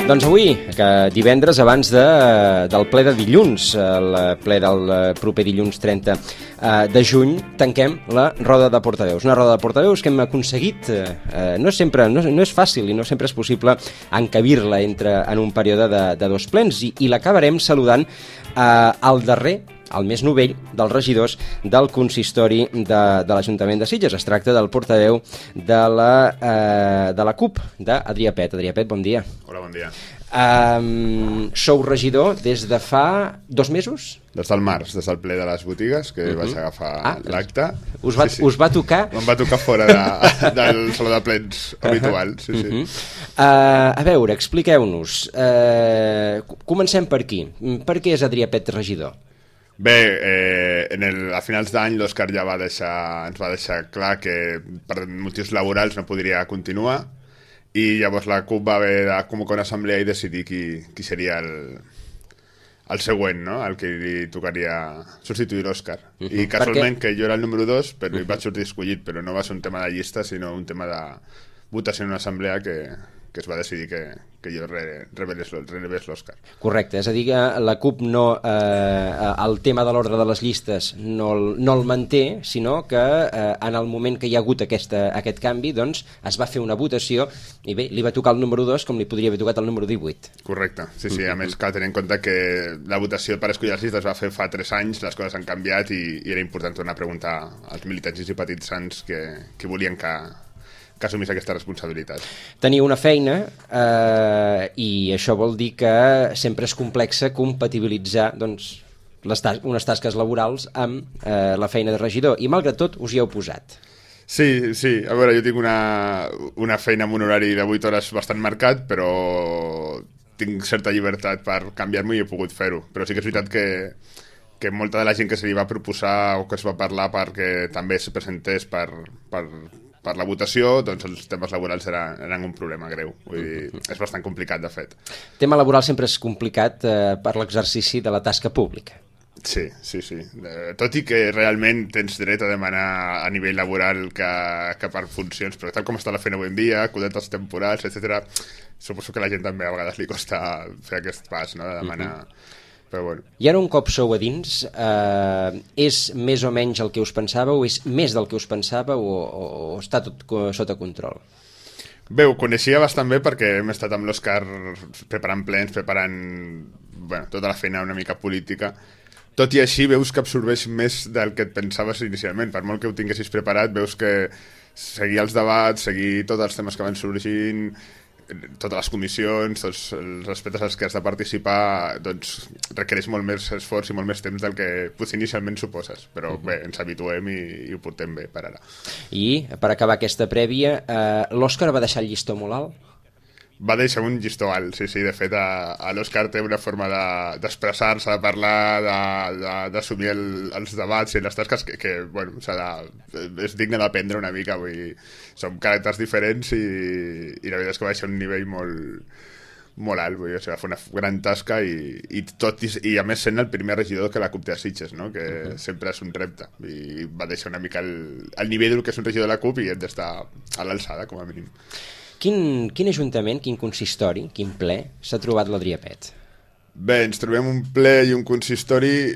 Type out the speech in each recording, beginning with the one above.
Doncs avui, que divendres, abans del ple de dilluns, el ple del proper dilluns 30 de juny, tanquem la roda de portaveus. Una roda de portaveus que hem aconseguit, no és fàcil i no sempre és possible encabir-la en un període de dos plens, i l'acabarem saludant al darrer, el més novell dels regidors del consistori de l'Ajuntament de Sitges. Es tracta del portaveu de la CUP, d'Adrià Pet. Adrià Pet, bon dia. Hola, bon dia. Sou regidor des de fa 2 mesos? Des del març, des del ple de les botigues, que vaig agafar l'acte. Us va tocar? Em va tocar fora del saló de plens habitual, sí. A veure, expliqueu-nos. Comencem per aquí. Per què és Adrià Pet regidor? Bé, a finals d'any l'Òscar ja ens va deixar clar que per motius laborals no podria continuar, i llavors la CUP va haver de convocar una assemblea i decidir qui seria el següent, no? El que li tocaria substituir l'Òscar. I casualment que jo era el número 2, però hi vaig sortir escollit, però no va ser un tema de llista, sinó un tema de votació en una assemblea que es va decidir que jo rebés l'Òscar. Correcte, és a dir, que la CUP el tema de l'ordre de les llistes no el manté, sinó que en el moment que hi ha hagut aquest canvi, doncs es va fer una votació i bé, li va tocar el número 2 com li podria haver tocat el número 18. Correcte, sí, a més cal tenir en compte que la votació per escollir les llistes es va fer fa 3 anys, les coses han canviat i era important tornar a preguntar als militants i simpatitzants que volien que assumís aquesta responsabilitat. Teniu una feina i això vol dir que sempre és complexa compatibilitzar unes tasques laborals amb la feina de regidor, i malgrat tot us hi heu posat. Sí, a veure, jo tinc una feina amb un horari de 8 hores bastant marcat, però tinc certa llibertat per canviar-m'ho i he pogut fer-ho, però sí que és veritat que molta de la gent que se li va proposar o que es va parlar perquè també es presentés per la votació, doncs els temes laborals eren un problema greu. Vull dir, és bastant complicat, de fet. El tema laboral sempre és complicat per l'exercici de la tasca pública. Sí. Tot i que realment tens dret a demanar a nivell laboral que per funcions, però tal com està la feina avui en dia, codetes temporals, etc., suposo que a la gent també a vegades li costa fer aquest pas, no?, de demanar... Però bueno. I ara un cop sou a dins, és més o menys el que us pensàveu, és més del que us pensàveu o està tot sota control? Bé, ho coneixia bastant bé perquè hem estat amb l'Òscar preparant plens, preparant tota la feina una mica política. Tot i així veus que absorbeix més del que et pensaves inicialment. Per molt que ho tinguessis preparat, veus que seguir els debats, seguir tots els temes que van sorgint, totes les comissions, tots els aspectes als que has de participar, doncs requereix molt més esforç i molt més temps del que potser inicialment suposes, però bé, ens habituem i ho portem bé per ara. I per acabar aquesta prèvia, l'Òscar va deixar el llistó molt alt? Va deixar un llistó alt, sí, de fet l'Òscar té una forma d'expressar-se, de parlar, d'assumir els debats i les tasques que bueno, és digne d'aprendre una mica, vull dir, som caràcters diferents i la veritat és que va deixar un nivell molt alt, vull dir, va fer una gran tasca i a més sent el primer regidor que la CUP té a Sitges, no?, que sempre és un repte, i va deixar una mica el nivell del que és un regidor de la CUP i hem d'estar a l'alçada, com a mínim. Quin ajuntament, quin consistori, quin ple s'ha trobat l'Adrià Pet? Bé, ens trobem un ple i un consistori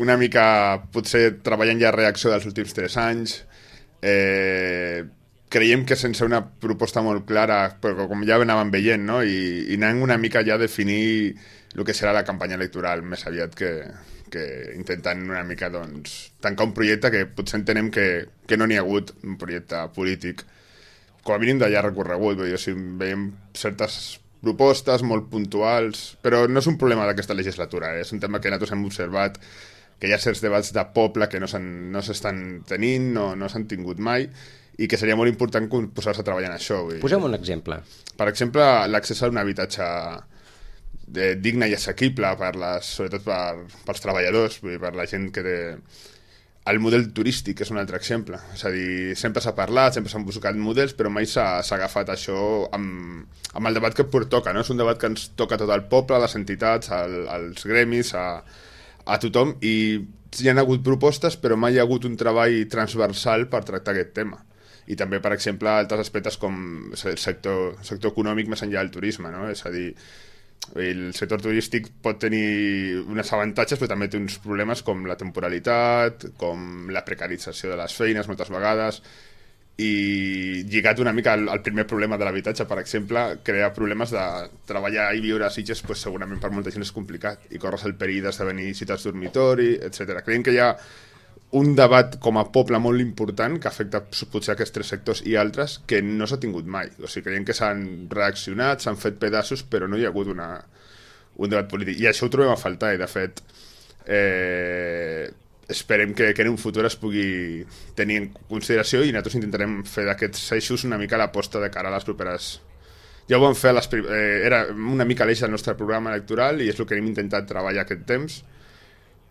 una mica, potser treballant ja a reacció dels últims 3 anys. Creiem que sense una proposta molt clara, però com ja anàvem veient, no? I anant una mica ja a definir el que serà la campanya electoral, més aviat que intentant una mica tancar un projecte que potser entenem que no n'hi ha hagut, un projecte polític com a mínim d'allà recorregut. Vull dir, si veiem certes propostes molt puntuals, però no és un problema d'aquesta legislatura, és un tema que nosaltres hem observat, que hi ha certs debats de poble que no s'estan tenint, no s'han tingut mai, i que seria molt important posar-se a treballar en això. Posem un exemple. Per exemple, l'accés a un habitatge digne i assequible, sobretot pels treballadors, vull dir, per la gent que té... El model turístic és un altre exemple. És a dir, sempre s'ha parlat, sempre s'han buscat models, però mai s'ha agafat això amb el debat que toca, no? És un debat que ens toca a tot el poble, a les entitats, als gremis, a tothom, i hi ha hagut propostes, però mai hi ha hagut un treball transversal per tractar aquest tema. i també, per exemple, altres aspectes com el sector econòmic més enllà del turisme, no? És a dir, el sector turístic pot tenir uns avantatges, però també té uns problemes com la temporalitat, com la precarització de les feines moltes vegades, i lligat una mica al primer problema de l'habitatge, per exemple, crea problemes de treballar i viure a Sitges, pues, segurament per molta gent és complicat i corres el perill d'esdevenir ciutats dormitori, etc. Creiem que hi ha un debat com a poble molt important que afecta potser aquests tres sectors i altres que no s'ha tingut mai. O sigui, creiem que s'han reaccionat, s'han fet pedaços, però no hi ha hagut un debat polític. I això ho trobem a faltar, i de fet esperem que en un futur es pugui tenir en consideració, i nosaltres intentarem fer d'aquests eixos una mica l'aposta de cara a les properes... Ja ho vam fer, era una mica l'eix del nostre programa electoral i és el que hem intentat treballar aquest temps,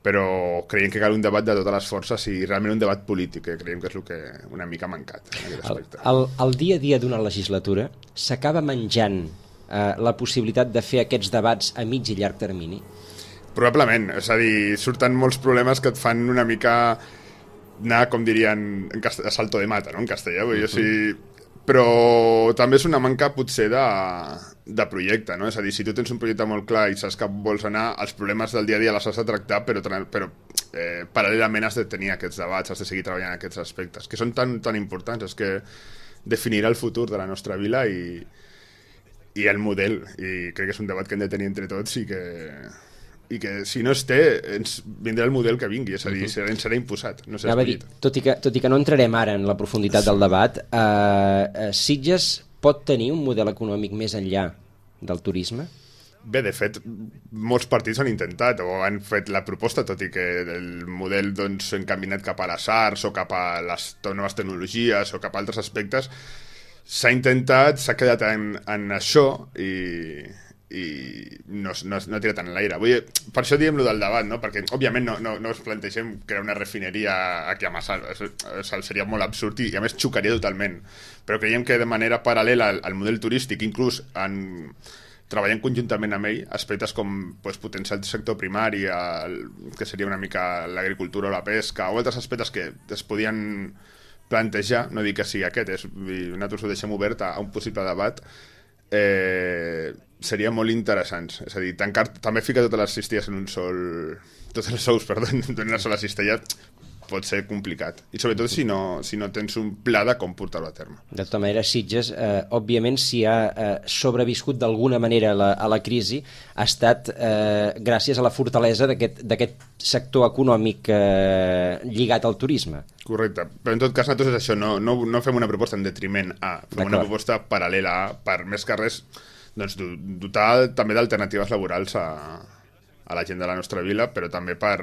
però creiem que cal un debat de totes les forces i realment un debat polític, que creiem que és el que una mica ha mancat en aquest aspecte. El dia a dia d'una legislatura s'acaba menjant la possibilitat de fer aquests debats a mig i llarg termini? Probablement, és a dir, surten molts problemes que et fan una mica anar, com dirien, a salto de mata, no?, en castellà, vull dir, o sigui, però també és una manca potser de projecte, no? És a dir, si tu tens un projecte molt clar i saps que vols anar, els problemes del dia a dia les has de tractar, però paral·lelament has de tenir aquests debats, has de seguir treballant en aquests aspectes, que són tan importants, és que definirà el futur de la nostra vila i el model, i crec que és un debat que hem de tenir entre tots i que si no es té, ens vindrà el model que vingui, és a dir, ens serà imposat, no serà escollit. Tot i que no entrarem ara en la profunditat del debat, Sitges pot tenir un model econòmic més enllà del turisme? Bé, de fet, molts partits han intentat o han fet la proposta, tot i que el model doncs, encaminat cap a les arts o cap a les noves tecnologies o cap a altres aspectes, s'ha intentat, s'ha quedat en això i no ha tirat en l'aire. Per això diem lo del debat, no? Perquè òbviament no ens plantegem crear una refineria aquí a Massal, seria molt absurd i a més xocaria totalment, però creiem que de manera paral·lela al model turístic, inclús treballant conjuntament amb ell aspectes com potenciar el sector primari, que seria una mica l'agricultura o la pesca, o altres aspectes que es podien plantejar, no dic que sigui aquest, nosaltres ho deixem obert a un possible debat, seria molt interessants. És a dir, també ficar totes les cistelles en un sol... Tots els ous, perdó, en una sola cistella pot ser complicat. I sobretot si no tens un pla de com portar-ho a terme. De tota manera, Sitges, òbviament, si ha sobreviscut d'alguna manera a la crisi, ha estat gràcies a la fortalesa d'aquest sector econòmic lligat al turisme. Correcte, però en tot cas nosaltres és això, no fem una proposta en detriment a, fem una proposta paral·lela a, per més que res, doncs, dotar també d'alternatives laborals a la gent de la nostra vila, però també per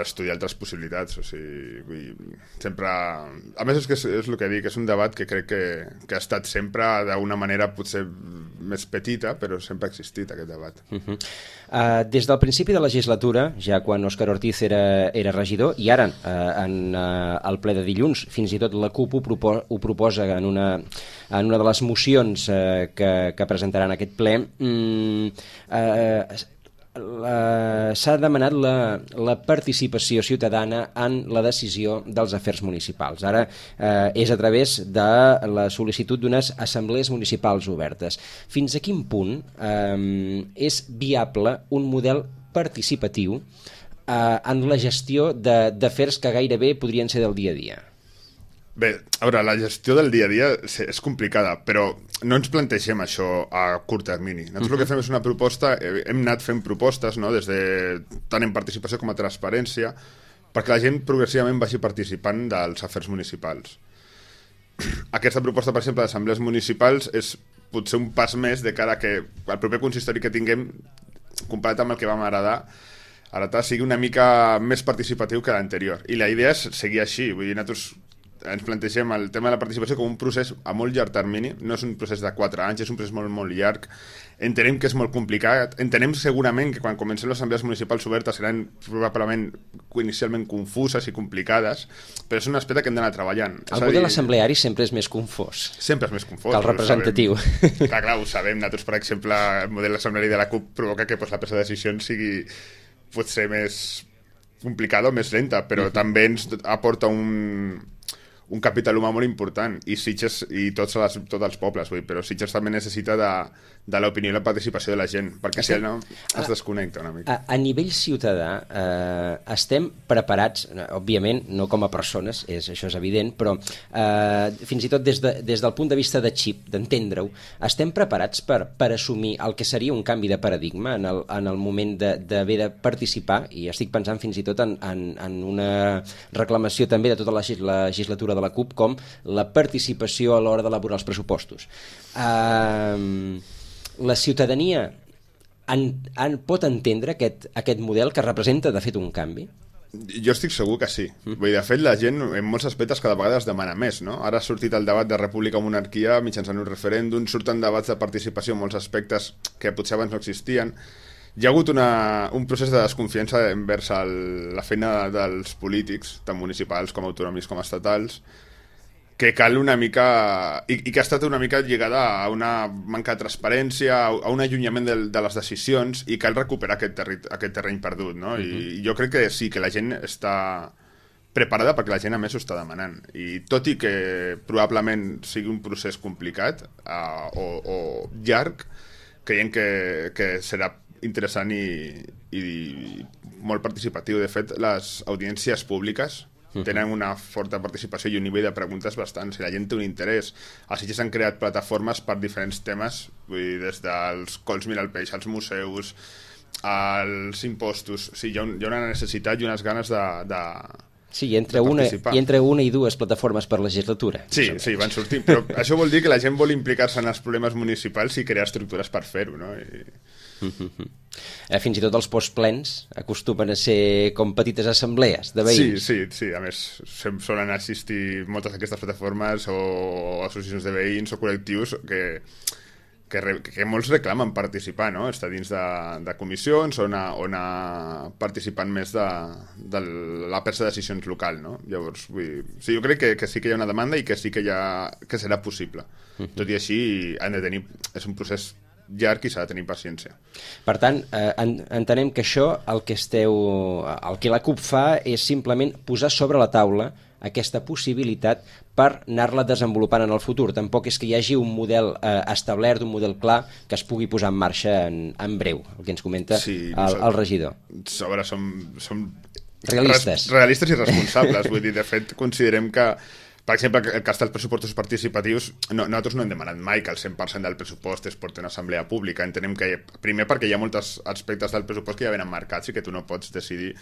estudiar altres possibilitats, o sigui, sempre... A més, és el que dic, és un debat que crec que ha estat sempre d'una manera potser més petita, però sempre ha existit aquest debat. Des del principi de la legislatura, ja quan Òscar Ortiz era regidor, i ara en el ple de dilluns, fins i tot la CUP ho proposa en una de les mocions que presentaran aquest ple, s'ha demanat la participació ciutadana en la decisió dels afers municipals. Ara és a través de la sol·licitud d'unes assemblees municipals obertes. Fins a quin punt és viable un model participatiu en la gestió d'afers que gairebé podrien ser del dia a dia? Bé, a veure, la gestió del dia a dia és complicada, però no ens plantegem això a curt termini. Nosaltres el que fem és una proposta, hem anat fent propostes, no?, tant en participació com a transparència, perquè la gent progressivament vagi participant dels afers municipals. Aquesta proposta, per exemple, d'assemblees municipals és potser un pas més de cara a que el proper consistori que tinguem, comparat amb el que vam heretar, sigui una mica més participatiu que l'anterior. I la idea és seguir així. Vull dir, nosaltres ens plantegem el tema de la participació com un procés a molt llarg termini, no és un procés de 4 anys, és un procés molt, molt llarg. Entenem que és molt complicat, entenem segurament que quan comencem les assemblees municipals obertes seran probablement inicialment confuses i complicades, però és un aspecte que hem d'anar treballant. El model assembleari sempre és més confós. Sempre és més confós. Que el representatiu. Clar, ho sabem. Nosaltres, per exemple, el model assembleari de la CUP provoca que la presa de decisions sigui potser més complicada o més lenta, però també ens aporta un capital humà molt important, i Sitges i tots els pobles, però Sitges també necessita de l'opinió i la participació de la gent, perquè si no es desconnecta una mica. A nivell ciutadà estem preparats, òbviament no com a persones, això és evident, però fins i tot des del punt de vista de xip, d'entendre-ho, estem preparats per assumir el que seria un canvi de paradigma en el moment d'haver de participar, i estic pensant fins i tot en una reclamació també de tota la legislatura de la CUP, com la participació a l'hora d'elaborar els pressupostos. La ciutadania pot entendre aquest model que representa de fet un canvi? Jo estic segur que sí. Vull dir, de fet, la gent en molts aspectes cada vegada es demana més, no? Ara ha sortit el debat de república o monarquia mitjançant un referèndum, surten debats de participació en molts aspectes que potser abans no existien. Hi ha hagut un procés de desconfiança envers la feina dels polítics, tant municipals com autonòmics com estatals, que cal una mica... I que ha estat una mica lligada a una manca de transparència, a un allunyament de les decisions, i cal recuperar aquest terreny perdut, no? I jo crec que sí, que la gent està preparada perquè la gent a més ho està demanant. I tot i que probablement sigui un procés complicat o llarg, creiem que serà interessant i molt participatiu. De fet, les audiències públiques tenen una forta participació i un nivell de preguntes bastant. Si la gent té un interès, a Sitges s'han creat plataformes per diferents temes, vull dir, des dels cols mira el peix, als museus, als impostos. Sí, hi ha una necessitat i unes ganes de Sí, entre una i dues plataformes per legislatura. Sí, van sortint, però això vol dir que la gent vol implicar-se en els problemes municipals i crear estructures per fer-ho, no? Fins i tot els postplens acostumen a ser com petites assemblees de veïns. Sí, a més solen assistir moltes d'aquestes plataformes o associacions de veïns o col·lectius que molts reclamen participar, no? Estar dins de comissions on a participant més de la presa de decisions local, no? Llavors, jo crec que sí que hi ha una demanda i que sí que serà possible. Tot i així, és un procés llarg i s'ha de tenir paciència. Per tant, entenem que això, el que la CUP fa és simplement posar sobre la taula aquesta possibilitat per anar-la desenvolupant en el futur. Tampoc és que hi hagi un model establert, un model clar que es pugui posar en marxa en breu, el que ens comenta el regidor. A veure, som realistes i responsables. Vull dir, de fet, considerem que, per exemple, el cas dels pressupostos participatius, nosaltres no hem demanat mai que el 100% del pressupost es porti a una assemblea pública. Entenem que, primer, perquè hi ha molts aspectes del pressupost que ja venen marcats i que tu no pots decidir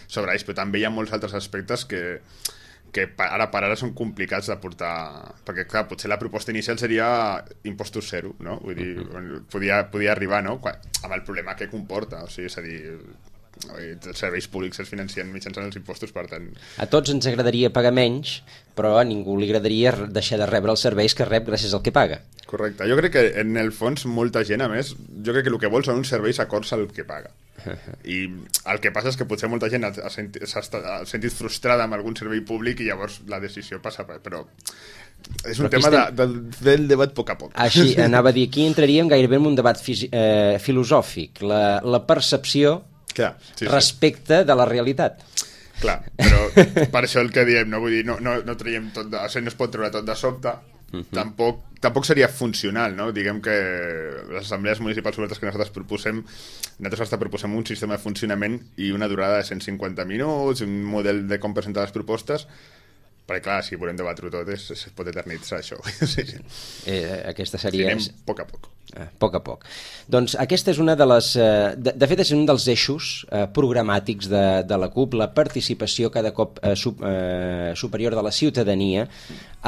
sobre ells, però també hi ha molts altres aspectes que ara per ara són complicats de portar, perquè clar, potser la proposta inicial seria impostos zero, no? Vull dir, podia arribar, no? Amb el problema que comporta, o sigui, és a dir, els serveis públics es financen mitjançant els impostos, per tant... A tots ens agradaria pagar menys, però a ningú li agradaria deixar de rebre els serveis que rep gràcies al que paga. Correcte. Jo crec que en el fons molta gent, a més, jo crec que el que vol són uns serveis acords al que paga. I el que passa és que potser molta gent s'ha sentit frustrada amb algun servei públic i llavors la decisió passa però és un tema del debat a poc a poc. Així, anava a dir, aquí entraríem gairebé en un debat filosòfic, la percepció respecte de la realitat. Clar, però per això el que diem, no vull dir, no traiem tot no es pot treure tot de sobte. Tampoc seria funcional, no? Diguem que les assemblees municipals obertes que nosaltres proposem un sistema de funcionament i una durada de 150 minuts, un model de com presentar les propostes, perquè clar, si volem debatre-ho tot es pot eternitzar això. Aquesta seria... Anem a poc. A poc a poc. Doncs aquesta és una de les... De fet, és un dels eixos programàtics de la CUP, la participació cada cop superior de la ciutadania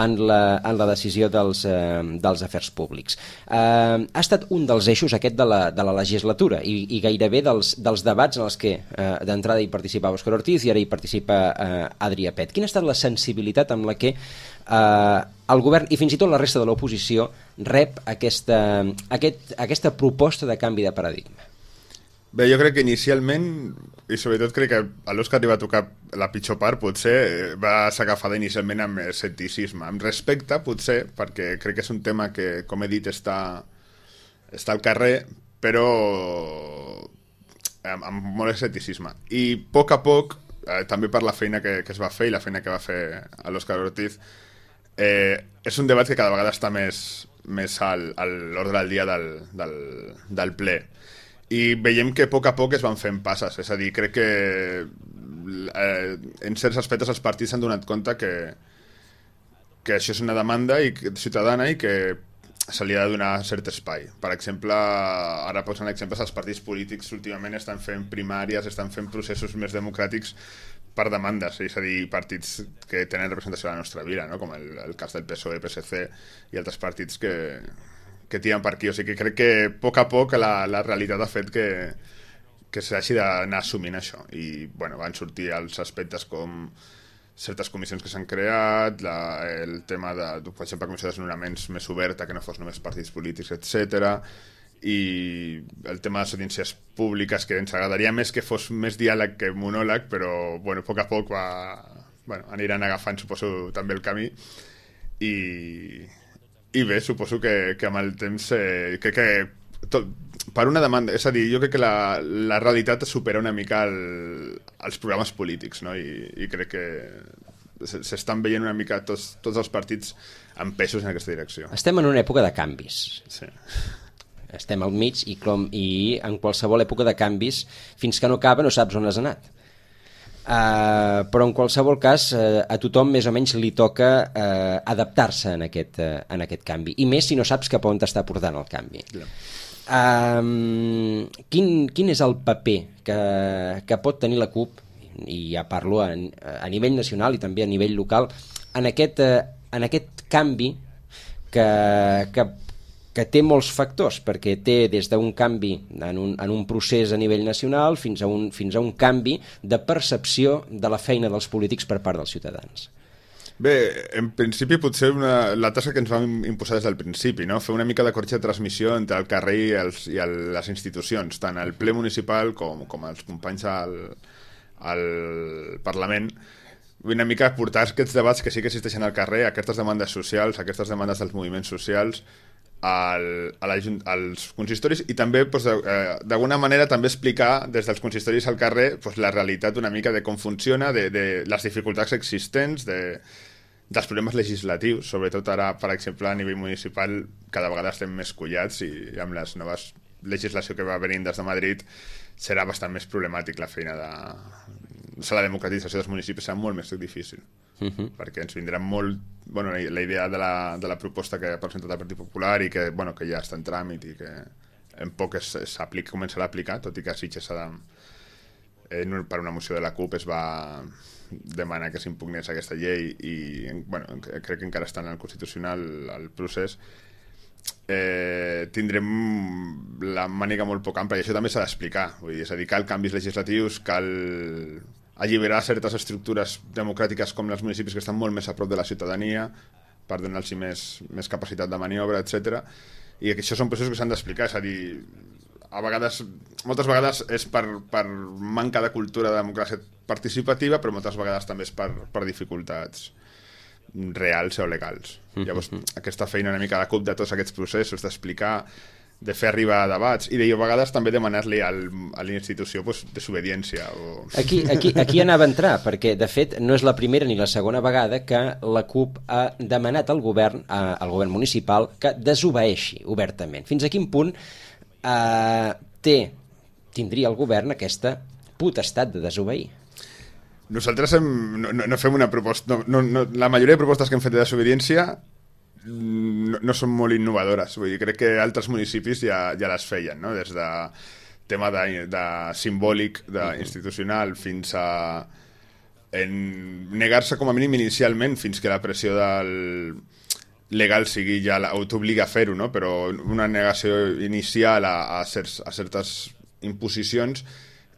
en la decisió dels afers públics. Ha estat un dels eixos aquest de la legislatura i gairebé dels debats en els que d'entrada hi participava Òscar Ortiz i ara hi participa Adrià Pet. Quina ha estat la sensibilitat amb la que el govern i fins i tot la resta de l'oposició rep aquesta proposta de canvi de paradigma? Bé, jo crec que inicialment, i sobretot crec que a l'Òscar li va tocar la pitjor part, potser va ser agafada inicialment amb escepticisme, amb respecte, potser, perquè crec que és un tema que, com he dit, està al carrer, però amb molt escepticisme. I a poc, també per la feina que es va fer i la feina que va fer l'Òscar Ortiz, És un debat que cada vegada està més a l'ordre del dia del ple. I veiem que a poc es van fent passes. És a dir, crec que en certs aspectes els partits s'han donat compte que això és una demanda ciutadana i que se li ha de donar cert espai. Per exemple, ara posant exemples, els partits polítics últimament estan fent primàries, estan fent processos més democràtics per demandes, és a dir, partits que tenen representació a la nostra vida, no? Com el cas del PSOE, PSC i altres partits que tiren per aquí. O sigui que crec que a poc la realitat ha fet que s'hagi d'anar assumint això. I bueno, van sortir els aspectes com certes comissions que s'han creat, el tema de, per exemple, comissió de desnonaments més oberta, que no fos només partits polítics, etc. I el tema de les audiències públiques, que ens agradaria més que fos més diàleg que monòleg, però bueno, a poc aniran agafant, suposo, també el camí. I bé, suposo que amb el temps crec que per una demanda, és a dir, jo crec que la realitat supera una mica els programes polítics, no? I crec que s'estan veient una mica tots els partits amb peixos en aquesta direcció. Estem en una època de canvis. Sí. Estem al mig i en qualsevol època de canvis, fins que no acaba no saps on has anat. Però en qualsevol cas a tothom més o menys li toca adaptar-se en aquest canvi, i més si no saps cap on t'està portant el canvi. Quin és el paper que pot tenir la CUP, i ja parlo a nivell nacional i també a nivell local, en aquest canvi que té molts factors, perquè té des d'un canvi en un procés a nivell nacional fins a un canvi de percepció de la feina dels polítics per part dels ciutadans? Bé, en principi potser la tasca que ens vam imposar des del principi, no? Fer una mica de corretja de transmissió entre el carrer i les institucions, tant al ple municipal com els companys al Parlament, una mica portar aquests debats que sí que existeixen al carrer, aquestes demandes socials, aquestes demandes dels moviments socials, als consistoris, i també d'alguna manera també explicar des dels consistoris al carrer la realitat una mica de com funciona, de les dificultats existents, dels problemes legislatius, sobretot ara, per exemple, a nivell municipal cada vegada estem més collats, i amb les noves legislació que va venint des de Madrid serà bastant més problemàtic la feina la democratització dels municipis serà molt més difícil. Perquè ens vindrà molt la idea de la proposta que ha presentat el Partit Popular i que ja està en tràmit i que en poc començarà a aplicar, tot i que a Sitges per una moció de la CUP es va demanar que s'impugnés aquesta llei i crec que encara està en el Constitucional el procés. Tindrem la màniga molt poc ampla i això també s'ha d'explicar, és a dir, cal canvis legislatius, cal alliberar certes estructures democràtiques com els municipis que estan molt més a prop de la ciutadania per donar-los més capacitat de maniobra, etc. I que això són processos que s'han d'explicar, és a dir, moltes vegades és per manca de cultura de democràcia participativa, però moltes vegades també és per dificultats reals o legals. Llavors, aquesta feina una mica de CUP de tots aquests processos, d'explicar, de fer arribar debats i a vegades també demanar-li a la institució desobediència. Aquí anava a entrar, perquè de fet no és la primera ni la segona vegada que la CUP ha demanat al govern municipal que desobeeixi obertament. Fins a quin punt tindria el govern aquesta potestat de desobeir? Nosaltres no fem una proposta... la majoria de propostes que hem fet de desobediència no són molt innovadores. Vull dir, crec que altres municipis ja les feien, no? Des de tema de simbòlic, institucional, fins a negar-se com a mínim inicialment fins que la pressió legal sigui ja t'obliga a fer-ho, no? Però una negació inicial a certes imposicions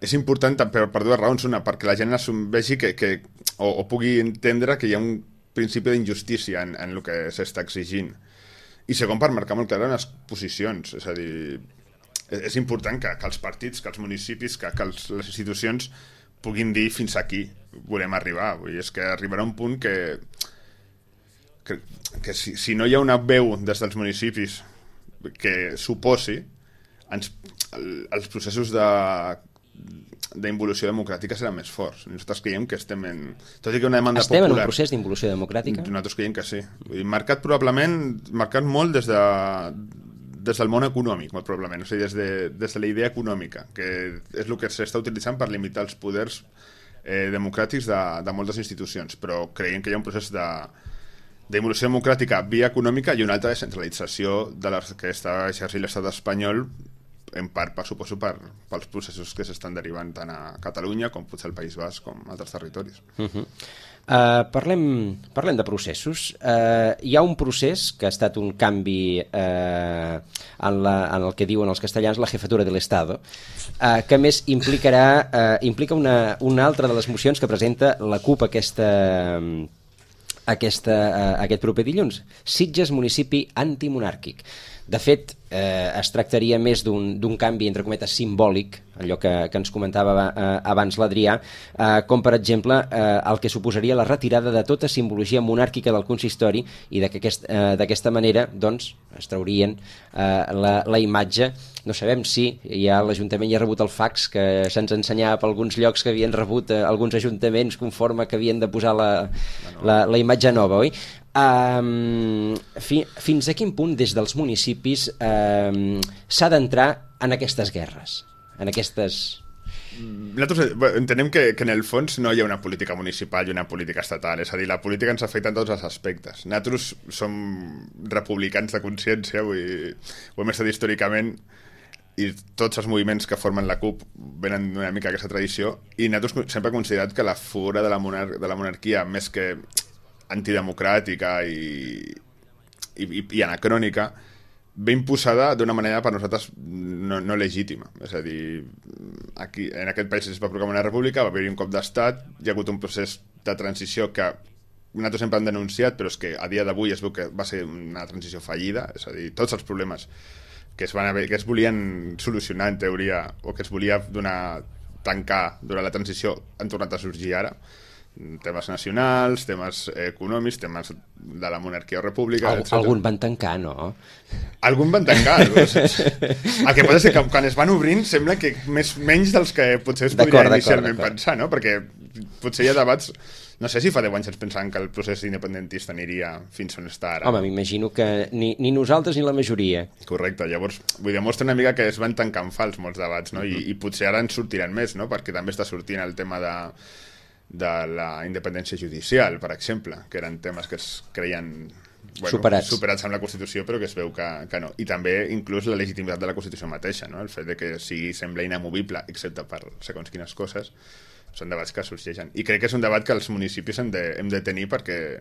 és important per dues raons. Una, perquè la gent vegi o pugui entendre que hi ha un principi d'injustícia en el que s'està exigint. I segon, per marcar molt clar les posicions. És a dir, és important que els partits, que els municipis, que les institucions puguin dir fins aquí volem arribar. Vull dir, és que arribarà un punt que si no hi ha una veu des dels municipis que s'oposi, els processos d'involució democràtica seran més forts. Nosaltres creiem que estem en... Tot i que una demanda Estem popular... en un procés d'involució democràtica? Nosaltres creiem que sí. Vull dir, marcat molt des del món econòmic, molt probablement, o sigui, des de la idea econòmica, que és el que s'està utilitzant per limitar els poders democràtics de moltes institucions, però creiem que hi ha un procés d'involució democràtica via econòmica i una altra descentralització de les que està exercint l'estat espanyol, en part, suposo, pels processos que s'estan derivant tant a Catalunya com potser al País Basc com a altres territoris. Parlem de processos. Hi ha un procés que ha estat un canvi en el que diuen els castellans la jefatura de l'Estado, que més implica una altra de les mocions que presenta la CUP aquest proper dilluns. Sitges, municipi antimonàrquic. De fet, es tractaria més d'un canvi, entre cometes, simbòlic, allò que ens comentava abans l'Adrià, com, per exemple, el que suposaria la retirada de tota simbologia monàrquica del consistori i d'aquesta manera doncs, es traurien la imatge. No sabem si l'Ajuntament ja ha rebut el fax que se'ns ensenyava per alguns llocs que havien rebut alguns ajuntaments conforme que havien de posar la imatge nova, oi? Fins a quin punt des dels municipis s'ha d'entrar en aquestes guerres, en aquestes... Nosaltres entenem que en el fons no hi ha una política municipal i una política estatal, és a dir, la política ens afecta en tots els aspectes. Nosaltres som republicans de consciència, ho hem estat històricament, i tots els moviments que formen la CUP venen una mica aquesta tradició, i nosaltres sempre hem considerat que la figura de la monarquia, més que antidemocràtica i anacrònica, ve imposada d'una manera per nosaltres no legítima. És a dir, aquí, en aquest país es va proclamar una república, va haver-hi un cop d'estat, hi ha hagut un procés de transició que nosaltres sempre hem denunciat, però és que a dia d'avui es veu que va ser una transició fallida, és a dir, tots els problemes que es volien solucionar en teoria, o que es volia tancar durant la transició, han tornat a sorgir ara. Temes nacionals, temes econòmics, temes de la monarquia o república, etc. Algun van tancar, no? Algun van tancar. El que passa és que quan es van obrint sembla que menys dels que potser es podria inicialment pensar, no? Perquè potser hi ha debats... No sé si fa 10 anys ens pensaven que el procés independentista aniria fins on està ara. Home, m'imagino que ni nosaltres ni la majoria. Correcte, llavors demostra una mica que es van tancant fals molts debats, no? I potser ara en sortiran més, no? Perquè també està sortint el tema de la independència judicial, per exemple, que eren temes que es creien superats amb la Constitució, però que es veu que no. I també inclús la legitimitat de la Constitució mateixa, no? El fet de que sembla inamovible, excepte per segons quines coses, són debats que sorgeixen. I crec que és un debat que els municipis hem de tenir perquè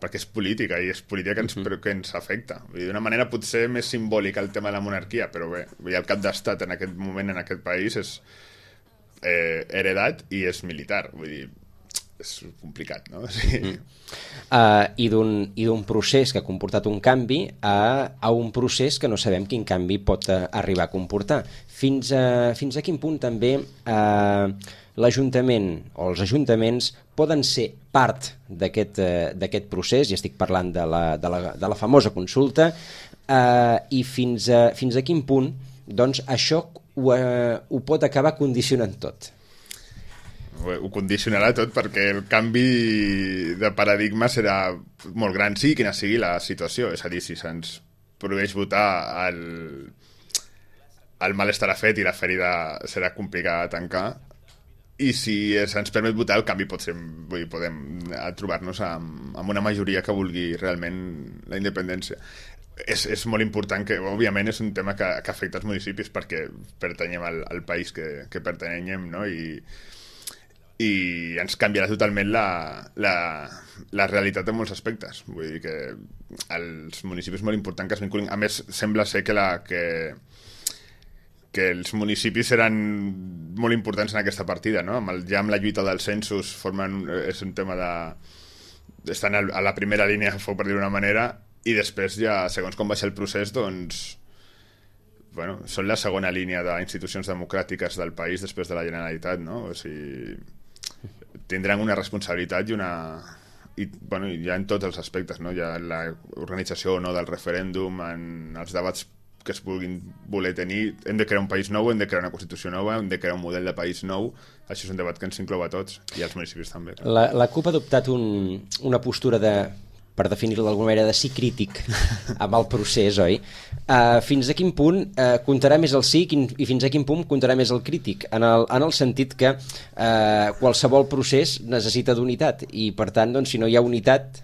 és política, i és política que ens afecta. D'una manera potser més simbòlica el tema de la monarquia, però bé, el cap d'estat en aquest moment en aquest país és heredat i és militar. Vull dir, és complicat, no? Sí. I d'un procés que ha comportat un canvi a un procés que no sabem quin canvi pot arribar a comportar. Fins a quin punt també l'Ajuntament o els ajuntaments poden ser part d'aquest procés, i estic parlant de la famosa consulta, i fins a quin punt doncs, això ho pot acabar condicionant tot. Ho condicionarà tot perquè el canvi de paradigma serà molt gran, sigui quina sigui la situació. És a dir, si se'ns prohibeix votar, el mal estarà fet i la ferida serà complicada de tancar, i si se'ns permet votar, el canvi pot ser, podem trobar-nos amb una majoria que vulgui realment la independència. És molt important que, òbviament, és un tema que afecta els municipis perquè pertanyem al país que pertanyem, no? I ens canviarà totalment la realitat en molts aspectes. Vull dir que els municipis és molt important que es vinculin. A més, sembla ser que els municipis seran molt importants en aquesta partida, no? Ja amb la lluita dels censos és un tema estan a la primera línia, per dir-ho d'una manera, i després ja, segons com baixa el procés, doncs són la segona línia d'institucions democràtiques del país després de la Generalitat, no? O sigui, tindran una responsabilitat i ja en tots els aspectes, no? Ja l'organització o no del referèndum, en els debats que es vulguin voler tenir. Hem de crear un país nou, hem de crear una Constitució nova, hem de crear un model de país nou. Això és un debat que ens inclou a tots, i als municipis també. La CUP ha adoptat una postura per definir-ho d'alguna manera, de sí crític amb el procés, oi? Fins a quin punt comptarà més el sí i fins a quin punt comptarà més el crític? En el sentit que qualsevol procés necessita d'unitat i, per tant, doncs, si no hi ha unitat,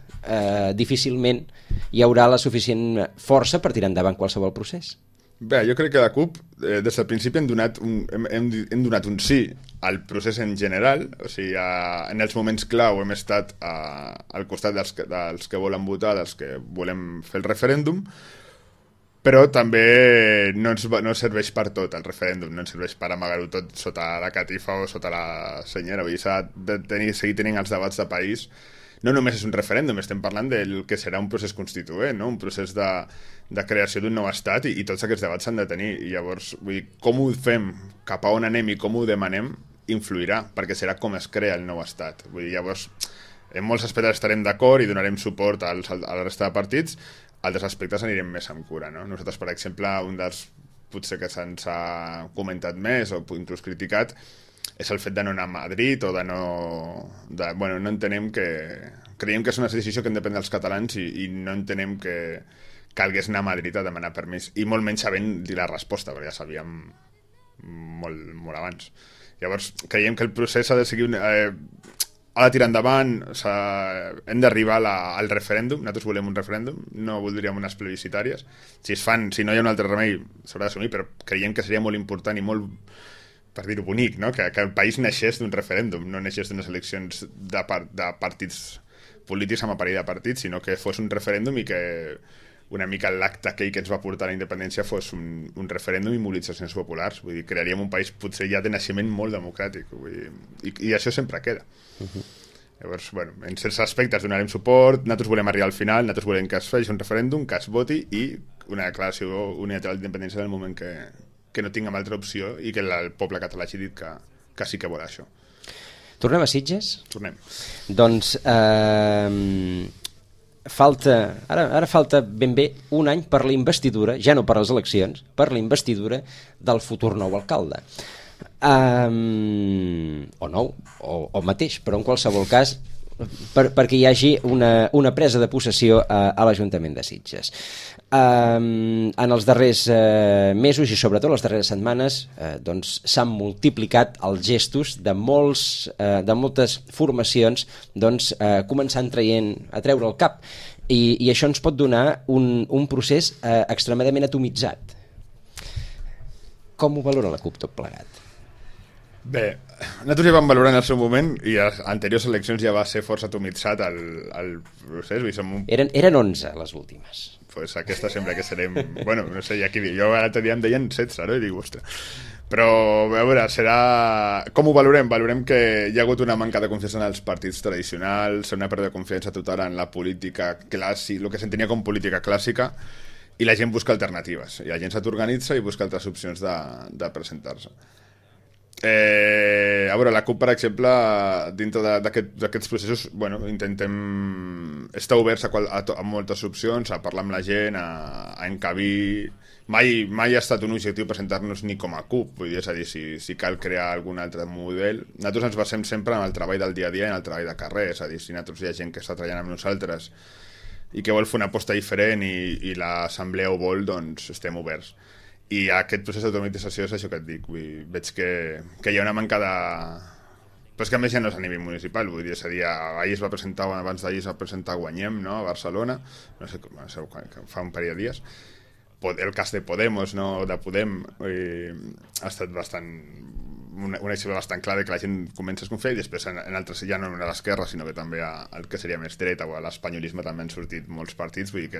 difícilment hi haurà la suficient força per tirar endavant qualsevol procés. Bé, jo crec que la CUP, des del principi hem donat un sí al procés en general, o sigui, en els moments clau hem estat al costat dels que volen votar, dels que volem fer el referèndum, però també no serveix per tot el referèndum, no ens serveix per amagar-ho tot sota la catifa o sota la senyera, vull dir, s'ha de seguir tenint els debats de país. No només és un referèndum, estem parlant del que serà un procés constituent, no? Un procés de creació d'un nou estat i tots aquests debats s'han de tenir. I llavors, vull dir, com ho fem, cap a on anem i com ho demanem, influirà, perquè serà com es crea el nou estat. Vull dir, llavors, en molts aspectes estarem d'acord i donarem suport a la resta de partits, altres aspectes anirem més amb cura, no? Nosaltres, per exemple, un dels potser que se'ns ha comentat més o inclús criticat és el fet de no anar a Madrid o no entenem que... Creiem que és una decisió que hem de prendre els catalans i no entenem que calgués anar a Madrid a demanar permís, i molt menys sabent dir la resposta, perquè ja sabíem molt abans. Llavors, creiem que el procés ha de seguir... ha de tirar endavant, hem d'arribar al referèndum. Nosaltres volem un referèndum, no voldríem unes plebiscitàries. Si no hi ha un altre remei, s'haurà d'assumir, però creiem que seria molt important i molt, per dir-ho bonic, no? Que el país naixés d'un referèndum, no naixés d'unes eleccions de partits polítics amb aparell de partits, sinó que fos un referèndum i que una mica l'acte aquell que ens va portar a la independència fos un referèndum i mobilitzacions populars. Vull dir, crearíem un país potser ja de naixement molt democràtic, vull dir, i això sempre queda. Llavors, bueno, en certs aspectes donarem suport, nosaltres volem arribar al final, nosaltres volem que es faci un referèndum, que es voti i una declaració unilateral d'independència en el moment que no tinguem altra opció i que el poble català hagi dit que sí que vol això. Tornem a Sitges? Tornem. Doncs ara falta ben bé un any per la investidura, ja no per les eleccions, per la investidura del futur nou alcalde. O nou, o mateix, però en qualsevol cas perquè hi hagi una presa de possessió a l'Ajuntament de Sitges. En els darrers mesos i sobretot les darreres setmanes doncs s'han multiplicat els gestos de moltes formacions doncs començant a treure el cap i això ens pot donar un procés extremadament atomitzat. Com ho valora la CUP tot plegat? Bé, nosaltres ja vam valorar en el seu moment i a anteriors eleccions ja va ser força atomitzat el procés. Eren 11 les últimes. Pues aquesta sempre que serem... Bueno, no sé, jo l'altre dia em deien 16, no? I dic, ostres. Però, a veure, com ho valorem? Valorem que hi ha hagut una manca de confiança en els partits tradicionals, una pèrdua de confiança total en la política clàssica, el que s'entenia com política clàssica, i la gent busca alternatives. I la gent s'autoorganitza i busca altres opcions de presentar-se. A veure, la CUP, per exemple, dintre d'aquests processos, bueno, intentem estar oberts a moltes opcions, a parlar amb la gent, a encabir. Mai ha estat un objectiu presentar-nos ni com a CUP, vull dir, és a dir, si cal crear algun altre model. Nosaltres ens basem sempre en el treball del dia a dia i en el treball de carrer, és a dir, si nosaltres hi ha gent que està treballant amb nosaltres i que vol fer una aposta diferent i l'assemblea ho vol, doncs estem oberts. I aquest procés d'automatització és això que et dic. Veig que hi ha una manca de... Però és que a més ja no és a nivell municipal, vull dir, és a dir, ahir es va presentar, abans d'ahir es va presentar Guanyem, no?, a Barcelona, no sé fa un parell de dies. El cas de Podemos, no?, de Podem, ha estat bastant... un exemple bastant clar de que la gent comença a desconfiar i després en altres, ja no a l'esquerra, sinó que també el que seria més dreta o a l'espanyolisme també han sortit molts partits, vull dir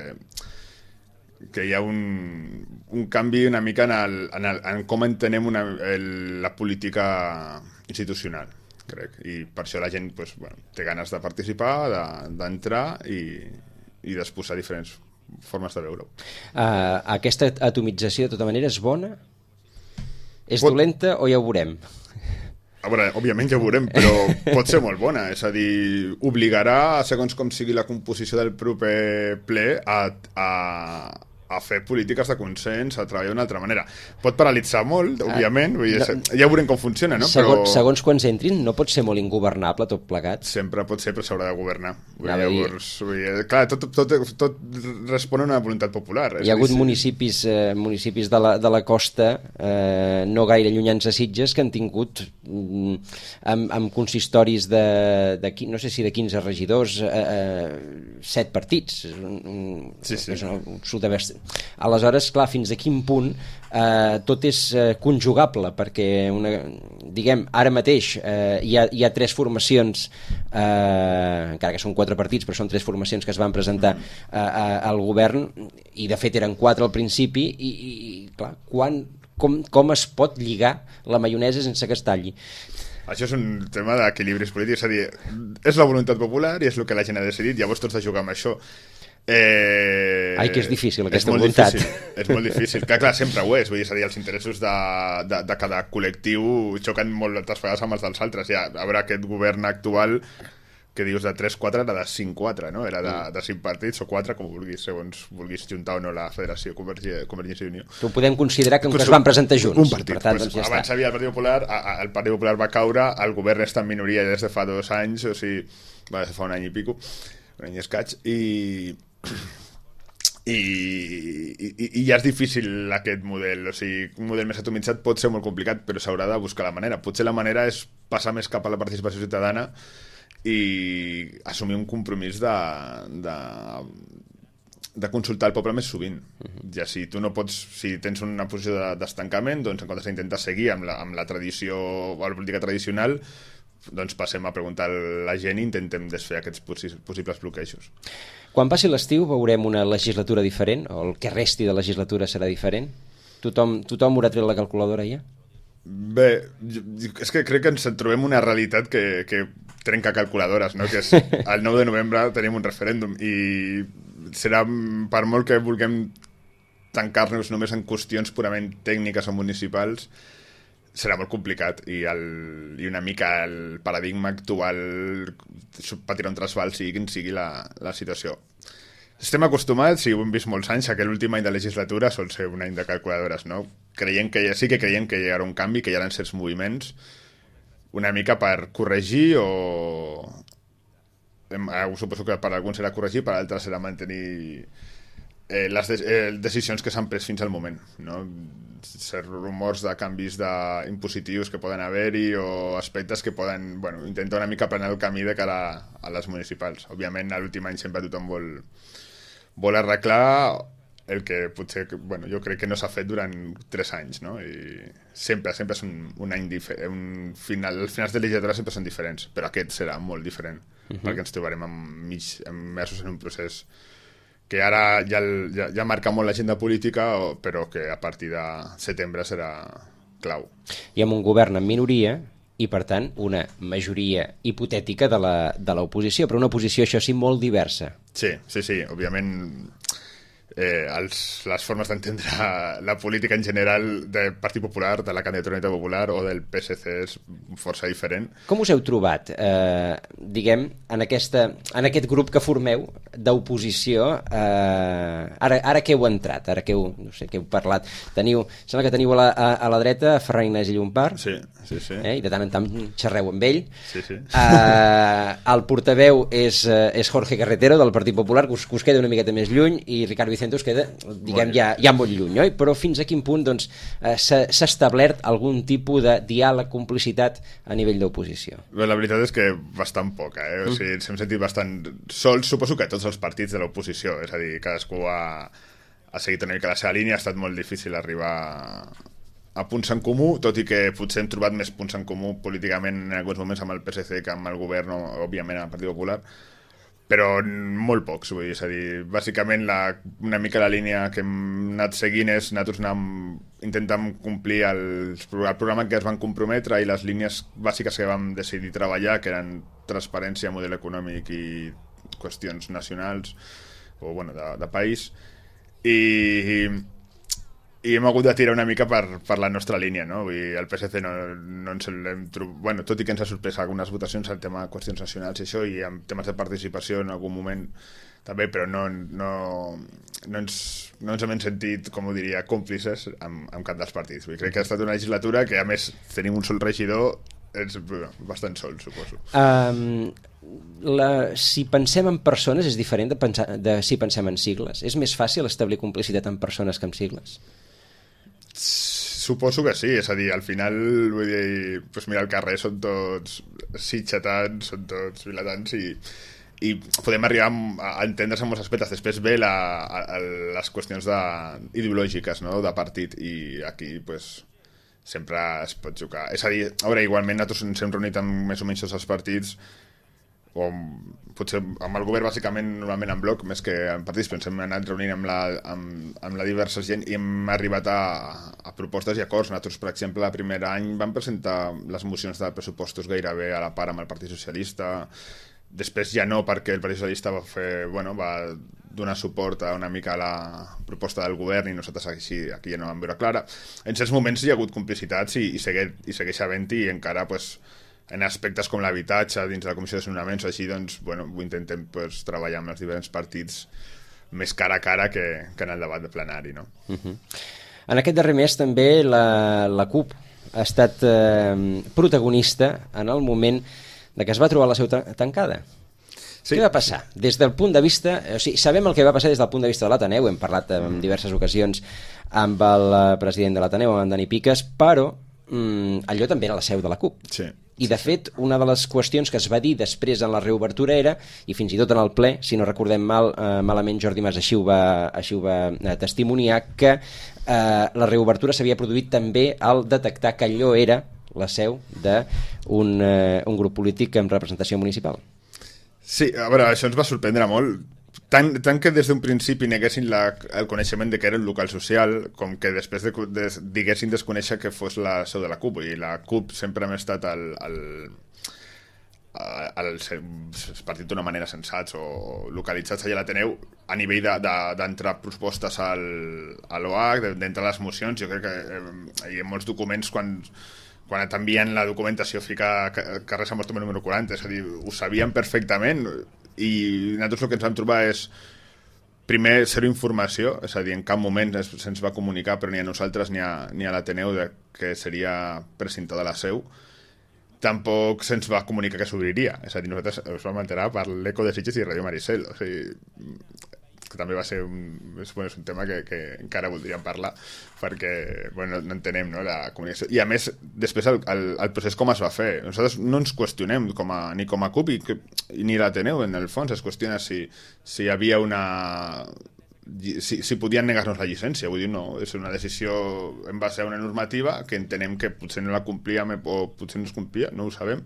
que hi ha un canvi una mica en com entenem la política institucional, crec, i per això la gent doncs, té ganes de participar, d'entrar i d'exposar diferents formes de veure-ho. Aquesta atomització de tota manera és bona? És dolenta o ja ho veurem? A veure, òbviament ja ho veurem, però pot ser molt bona, és a dir, obligarà, segons com sigui la composició del proper ple, a a fer polítiques de consens, a treballar d'una altra manera. Pot paralitzar molt, òbviament, vull dir, ja veurem com funciona, no? Segons quants entrin, no pot ser molt ingovernable tot plegat? Sempre pot ser, però s'haurà de governar. Llavors, clar, tot respon a una voluntat popular. Hi ha hagut municipis de la costa, no gaire llunyans a Sitges, que han tingut amb consistoris de no sé si de 15 regidors, 7 partits. És absolutament. Aleshores, clar, fins a quin punt tot és conjugable, perquè diguem, ara mateix hi ha 3 formacions, encara que són 4 partits, però són 3 formacions que es van presentar al govern, i de fet eren 4 al principi, i clar, com es pot lligar la maionesa sense que es talli? Això és un tema d'equilibris polítics, és a dir, és la voluntat popular i és el que la gent ha decidit, llavors tots de jugar amb això. Ai, que és difícil aquesta voluntat. És molt difícil, clar, sempre ho és, vull dir, és a dir, els interessos de cada col·lectiu xoquen moltes vegades amb els dels altres. Ja, a veure, aquest govern actual que dius de 3-4 era de 5-4, no? Era de 5 partits o 4, com vulguis, segons vulguis juntar o no la Federació Convergència i Unió. Ho podem considerar que es van presentar junts. Un partit. Per tant, doncs ja abans havia el Partit Popular, el Partit Popular va caure, el govern està en minoria des de fa 2 anys, o sigui, va des de fa un any i pico, un any i escaig, i ja és difícil aquest model, o sigui, un model més atomitzat pot ser molt complicat, però s'haurà de buscar la manera. Potser la manera és passar més cap a la participació ciutadana i assumir un compromís de consultar el poble més sovint. Ja si tu no pots, si tens una posició d'estancament, doncs en comptes d'intentar seguir amb la tradició o la política tradicional, doncs passem a preguntar a la gent i intentem desfer aquests possibles bloquejos. Quan passi l'estiu veurem una legislatura diferent, o el que resti de legislatura serà diferent? Tothom haurà tret la calculadora ja? Bé, és que crec que ens trobem una realitat que trenca calculadores, no? Que és el 9 de novembre tenim un referèndum i serà, per molt que vulguem tancar-nos només en qüestions purament tècniques o municipals, serà molt complicat i una mica el paradigma actual patirà un trasbal sigui quin sigui la situació. Estem acostumats, i ho hem vist molts anys, que l'últim any de legislatura sol ser un any de calculadores, no? Creiem que hi haurà un canvi, que hi haurà certs moviments, una mica per corregir o... Suposo que per alguns serà corregir, per altres serà mantenir les decisions que s'han pres fins al moment, no? Certs rumors de canvis impositius que poden haver-hi o aspectes que poden intentar una mica planar el camí de cara a les municipals. Òbviament, a l'últim any sempre tothom vol arreglar el que potser, jo crec que no s'ha fet durant 3 anys, no? I sempre és un any diferent. Els finals de legislatura sempre són diferents, però aquest serà molt diferent, perquè ens trobarem immersos en un procés que ara ja marca molt l'agenda política, però que a partir de setembre serà clau. I amb un govern en minoria i, per tant, una majoria hipotètica de l'oposició, però una oposició, això sí, molt diversa. Sí, òbviament les formes d'entendre la política en general del Partit Popular, de la candidatura Unitat Popular o del PSC és força diferent. Com us heu trobat, diguem, en aquest grup que formeu d'oposició, ara que heu entrat, ara que heu parlat, sembla que teniu a la dreta Ferran Ignasi Llompart, sí. I de tant en tant xerreu amb ell. Sí. El portaveu és Jorge Carretero, del Partit Popular, que us queda una miqueta més lluny, i Ricardo Vicente us queda, diguem, ja molt lluny, oi? Però fins a quin punt s'ha establert algun tipus de diàleg, complicitat a nivell d'oposició? La veritat és que bastant poca, o sigui, ens hem sentit bastant sols, suposo que tots els partits de l'oposició, és a dir, cadascú ha seguit una mica la seva línia, ha estat molt difícil arribar a punts en comú, tot i que potser hem trobat més punts en comú políticament en alguns moments amb el PSC que amb el govern o, òbviament, amb el Partit Popular, però molt pocs, vull dir, és a dir, bàsicament una mica la línia que hem anat seguint és nosaltres intentant complir el programa que es van comprometre i les línies bàsiques que vam decidir treballar, que eren transparència, model econòmic i qüestions nacionals o de país, i hem hagut de tirar una mica per la nostra línia, no? Vull dir, el PSC no ens l'hem trobat, tot i que ens ha sorprès algunes votacions al tema de qüestions nacionals i això, i en temes de participació en algun moment també, però no ens hem sentit, com ho diria, còmplices amb cap dels partits. Crec que ha estat una legislatura que, a més, tenim un sol regidor, és bastant sol, suposo. Si pensem en persones és diferent de si pensem en sigles? És més fàcil establir complicitat en persones que en sigles? Suposo que sí, és a dir, al final, vull dir, doncs mira, al carrer són tots sitxatants, són tots vilatans i podem arribar a entendre's en molts aspectes. Després ve les qüestions ideològiques, no?, de partit, i aquí, doncs, sempre es pot jugar. És a dir, a veure, igualment nosaltres ens hem reunit amb més o menys tots els partits, o potser amb el govern bàsicament normalment en bloc, més que en partits, però ens hem anat reunint amb la diversa gent i hem arribat a propostes i acords. Nosaltres, per exemple, el primer any vam presentar les mocions de pressupostos gairebé a la part amb el Partit Socialista. Després ja no, perquè el Partit Socialista va donar suport a una mica a la proposta del govern i nosaltres aquí ja no vam veure clara. En certs moments hi ha hagut complicitats i segueix havent-hi, i encara en aspectes com l'habitatge dins de la Comissió de Desnonaments o així, doncs, ho intentem treballar amb els diferents partits més cara a cara que en el debat de plenari, no? En aquest darrer mes també la CUP ha estat protagonista en el moment de que es va trobar la seu tancada. Sí. Què va passar? Des del punt de vista... O sigui, sabem el que va passar des del punt de vista de l'Ateneu, hem parlat en diverses ocasions amb el president de l'Ateneu, amb en Dani Piques, però allò també era la seu de la CUP. Sí. I, de fet, una de les qüestions que es va dir després en la reobertura era, i fins i tot en el ple, si no recordem malament, Jordi Mas així ho va testimoniar, que la reobertura s'havia produït també al detectar que allò era la seu d'un grup polític amb representació municipal. Sí, a veure, això ens va sorprendre molt. Tant que des d'un principi neguessin el coneixement de que era un local social, com que després diguessin desconèixer que fos la seu de la CUP. I la CUP sempre hem estat el partit d'una manera sensats o localitzats allà a l'Ateneu a nivell d'entrar propostes a l'OH, d'entrar les mocions. Jo crec que hi ha molts documents quan t'envien la documentació fica carrer Sant Bartomeu número 40, és a dir, ho sabien perfectament, i nosaltres el que ens vam trobar és primer zero informació, és a dir, en cap moment se'ns va comunicar, però ni a nosaltres ni a l'Ateneu, que seria precintor de la seu. Tampoc se'ns va comunicar que s'obriria, és a dir, nosaltres ens vam enterar per l'Eco de Sitges i Ràdio Maricel, o sigui, que també va ser un tema que encara voldríem parlar, perquè no entenem, no, la comunicació. I a més, després el procés com es va fer. Nosaltres no ens qüestionem ni com a CUP ni l'Ateneu, en el fons es qüestiona si hi havia si podien negar-nos la llicència. Vull dir, no, és una decisió en base a una normativa que entenem que potser no la complíem o potser no es complia, no ho sabem.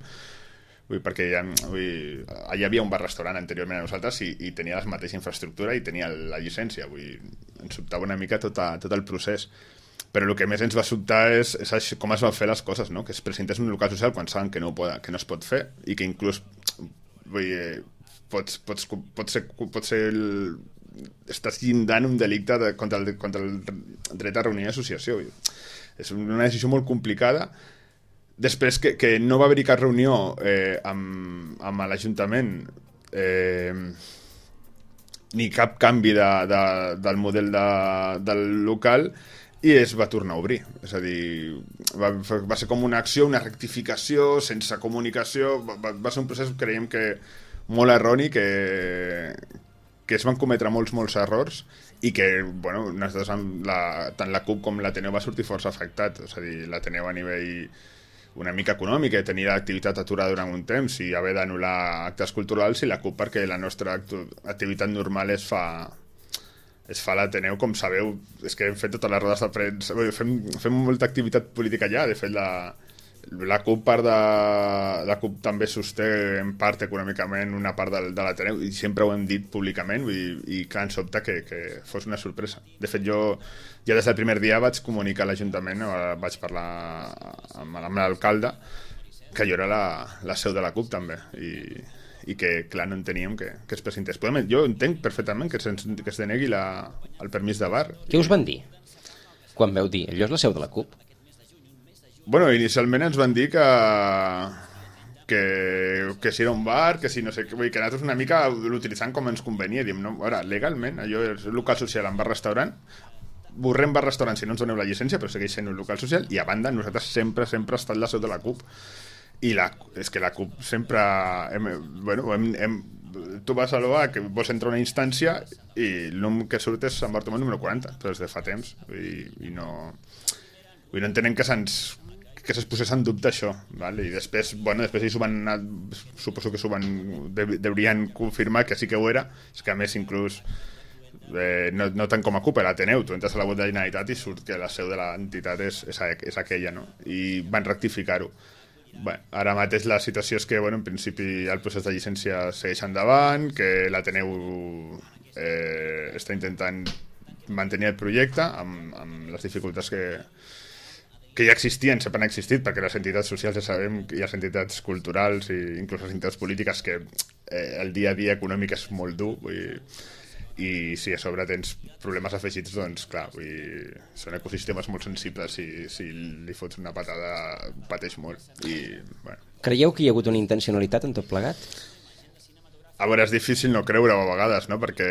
Perquè allà hi havia un bar-restaurant anteriorment a nosaltres i tenia la mateixa infraestructura i tenia la llicència. Ens sobtava una mica tot el procés. Però el que més ens va sobtar és com es van fer les coses, no? Que es presentés un local social quan saben que no es pot fer i que inclús pot ser estàs llindant un delicte contra el dret a reunió i associació. És una decisió molt complicada. Després que no va haver-hi cap reunió amb l'Ajuntament ni cap canvi del model del local, i es va tornar a obrir. És a dir, va ser com una acció, una rectificació sense comunicació. Va ser un procés, creiem que molt erroni, que es van cometre molts errors i que, nosaltres tant la CUP com l'Ateneu va sortir força afectat. És a dir, l'Ateneu a nivell una mica econòmica, tenir l'activitat aturada durant un temps i haver d'anul·lar actes culturals, i la CUP perquè la nostra activitat normal es fa a l'Ateneu, com sabeu. És que hem fet totes les rodes de premsa, fem molta activitat política allà. De fet, la CUP també sosté en part econòmicament una part de l'Ateneu, i sempre ho hem dit públicament, i clar, ens sobta que fos una sorpresa. De fet, jo ja des del primer dia vaig comunicar a l'Ajuntament, vaig parlar amb l'alcalde, que jo era la seu de la CUP també, i que clar, no enteníem que es presentés. Jo entenc perfectament que es denegui el permís de bar. Què us van dir quan veu dir allò és la seu de la CUP? Inicialment ens van dir que que si era un bar, que si no sé què, vull dir que nosaltres una mica l'utilitzant com ens convenia, diem, no, ara, legalment, allò és un local social en bar-restaurant, borrem bar-restaurant si no ens doneu la llicència, però segueix sent un local social, i a banda nosaltres sempre ha estat la seu de la CUP, i és que la CUP sempre tu vas a l'OA que vols entrar a una instància i el nom que surt és Sant Bartomeu número 40, però des de fa temps i no entenem que se'ns posés en dubte això, vale? I després ells suposo que deurien confirmar que sí que ho era, és que a més inclús no tant com a CUP, l'Ateneu, tu entres a la web de la Generalitat i surt que la seu de l'entitat és aquella, no? I van rectificar-ho. Bé, ara mateix la situació és que en principi el procés de llicència segueix endavant, que l'Ateneu està intentant mantenir el projecte amb les dificultats que ja existien, sempre han existit, perquè les entitats socials ja sabem, i les entitats culturals i inclús les entitats polítiques, que el dia a dia econòmic és molt dur, i si a sobre tens problemes afegits, doncs clar, són ecosistemes molt sensibles, i si li fots una patada pateix molt. Creieu que hi ha hagut una intencionalitat en tot plegat? A veure, és difícil no creure-ho a vegades, no? Perquè,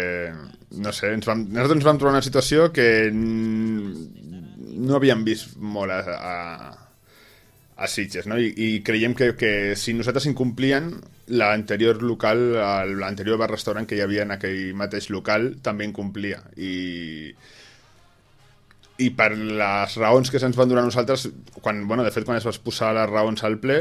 no sé, nosaltres ens vam trobar una situació que no havíem vist molt a Sitges, no? I creiem que si nosaltres incomplien, l'anterior bar-restaurant que hi havia en aquell mateix local també incomplia. I per les raons que se'ns van donar a nosaltres, de fet, quan es va posar les raons al ple,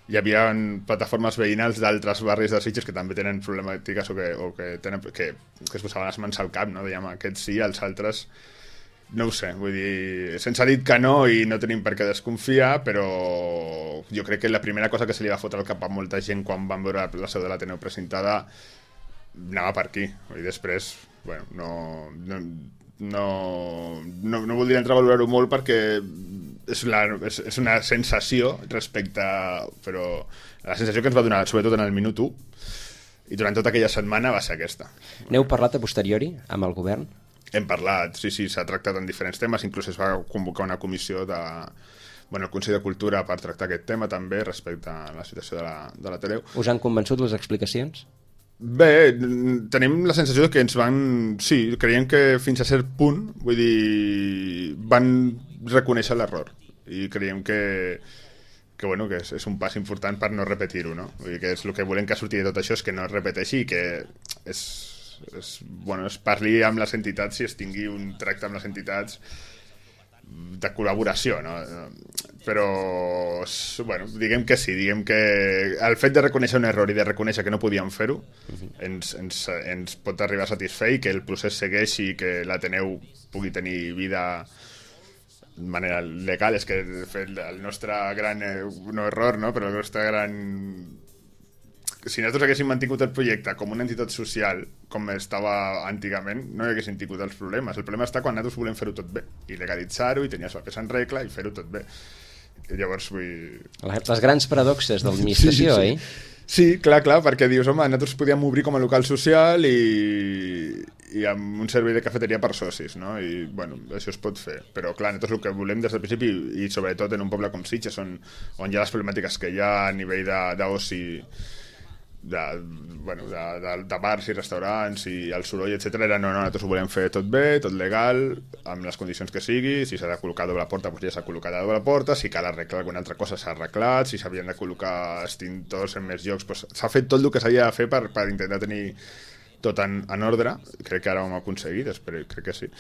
hi havia plataformes veïnals d'altres barris de Sitges que també tenen problemàtiques que es posaven les mans al cap, no? Dèiem, aquests sí, els altres no ho sé, vull dir, se'ns ha dit que no i no tenim per què desconfiar, però jo crec que la primera cosa que se li va fotre al cap a molta gent quan van veure la seu de l'Ateneu presentada anava per aquí, i després no voldria entrar a valorar-ho molt perquè és una sensació però la sensació que ens va donar sobretot en el minut 1 i durant tota aquella setmana va ser aquesta. N'heu parlat a posteriori amb el govern? Hem parlat, sí, s'ha tractat en diferents temes, inclús es va convocar una comissió el Consell de Cultura per tractar aquest tema també respecte a la situació de l'Ateneu. Us han convençut les explicacions? Bé, tenim la sensació que ens van... Sí, creiem que fins a cert punt, vull dir, van reconèixer l'error i creiem que és un pas important per no repetir-ho, no? Vull dir que és el que volem que surti de tot això és que no es repeteixi i que es parli amb les entitats i es tingui un tracte amb les entitats de col·laboració, no? Però diguem que sí, diguem que el fet de reconèixer un error i de reconèixer que no podíem fer-ho ens pot arribar a satisfer i que el procés segueixi i que l'Ateneu pugui tenir vida de manera legal. És que de fet el nostre gran no error, no? Però el nostre gran... Si nosaltres haguéssim mantingut el projecte com una entitat social, com estava antigament, no hi haguéssim tingut els problemes. El problema està quan nosaltres volem fer-ho tot bé, i legalitzar-ho, i tenir això que s'en regla, i fer-ho tot bé. I llavors Les grans paradoxes de l'administració, sí. Sí, clar, perquè dius, home, nosaltres podíem obrir com a local social i amb un servei de cafeteria per socis, no? I, això es pot fer. Però, clar, nosaltres el que volem des del principi, i sobretot en un poble com Sitges, on hi ha les problemàtiques que hi ha a nivell d'oci, de bars i restaurants i el soroll, etc. Era nosaltres ho volem fer tot bé, tot legal, amb les condicions que sigui. Si s'ha de col·locar doble porta, doncs ja s'ha col·locat a doble porta. Si cal arreglar alguna altra cosa, s'ha arreglat. Si s'havien de col·locar extintors en més llocs, doncs s'ha fet tot el que s'havia de fer per intentar tenir tot en ordre. Crec que ara ho hem aconseguit, crec que sí.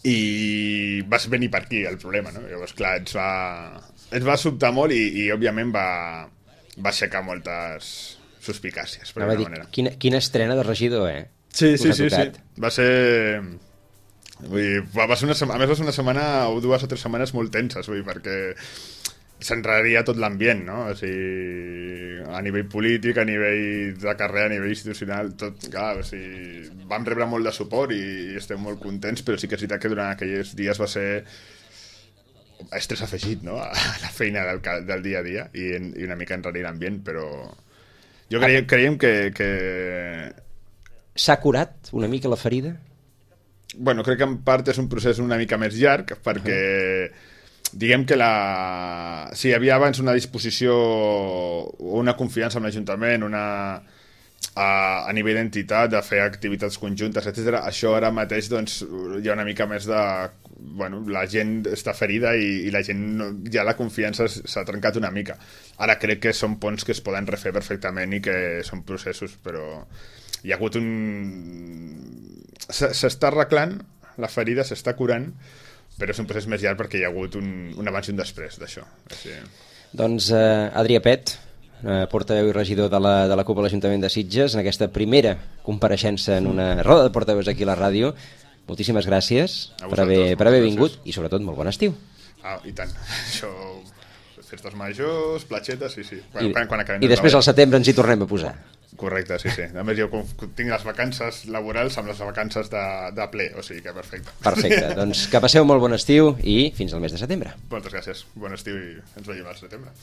I vas venir per aquí el problema, no? Llavors, clar, ens va sobtar molt i òbviament va aixecar moltes suspicàcies, per alguna manera. Quina estrena de regidor, eh? Sí. Va ser... va ser una setmana o 2 o 3 setmanes molt tenses, perquè s'enraria tot l'ambient, no? O sigui, a nivell polític, a nivell de carrera, a nivell institucional, tot, clar, o sigui, vam rebre molt de suport i estem molt contents, però sí que és veritat que durant aquells dies va ser estrès afegit, no?, a la feina del dia a dia i una mica enrarir l'ambient, però jo creiem que... S'ha curat una mica la ferida? Crec que en part és un procés una mica més llarg, perquè diguem que sí, hi havia abans una disposició o una confiança amb l'Ajuntament, a nivell d'entitat, de fer activitats conjuntes, etc. Això ara mateix doncs, hi ha una mica més de... Bueno, la gent està ferida i la gent ja la confiança s'ha trencat una mica. Ara crec que són ponts que es poden refer perfectament i que són processos, però hi ha hagut s'està arreglant, la ferida s'està curant, però és un procés més llarg perquè hi ha hagut un abans i un després d'això. Així... Doncs Adrià Pet, portaveu i regidor de la CUP a l'Ajuntament de Sitges, en aquesta primera compareixença en una roda de portaveus aquí a la ràdio. Moltíssimes gràcies per haver vingut i sobretot molt bon estiu. I tant. Això, festes majors, platxetes, sí. I després al setembre ens hi tornem a posar. Correcte, sí. A més, jo tinc les vacances laborals amb les vacances de ple, o sigui que perfecte. Perfecte, doncs que passeu molt bon estiu i fins al mes de setembre. Moltes gràcies, bon estiu i ens veiem al setembre.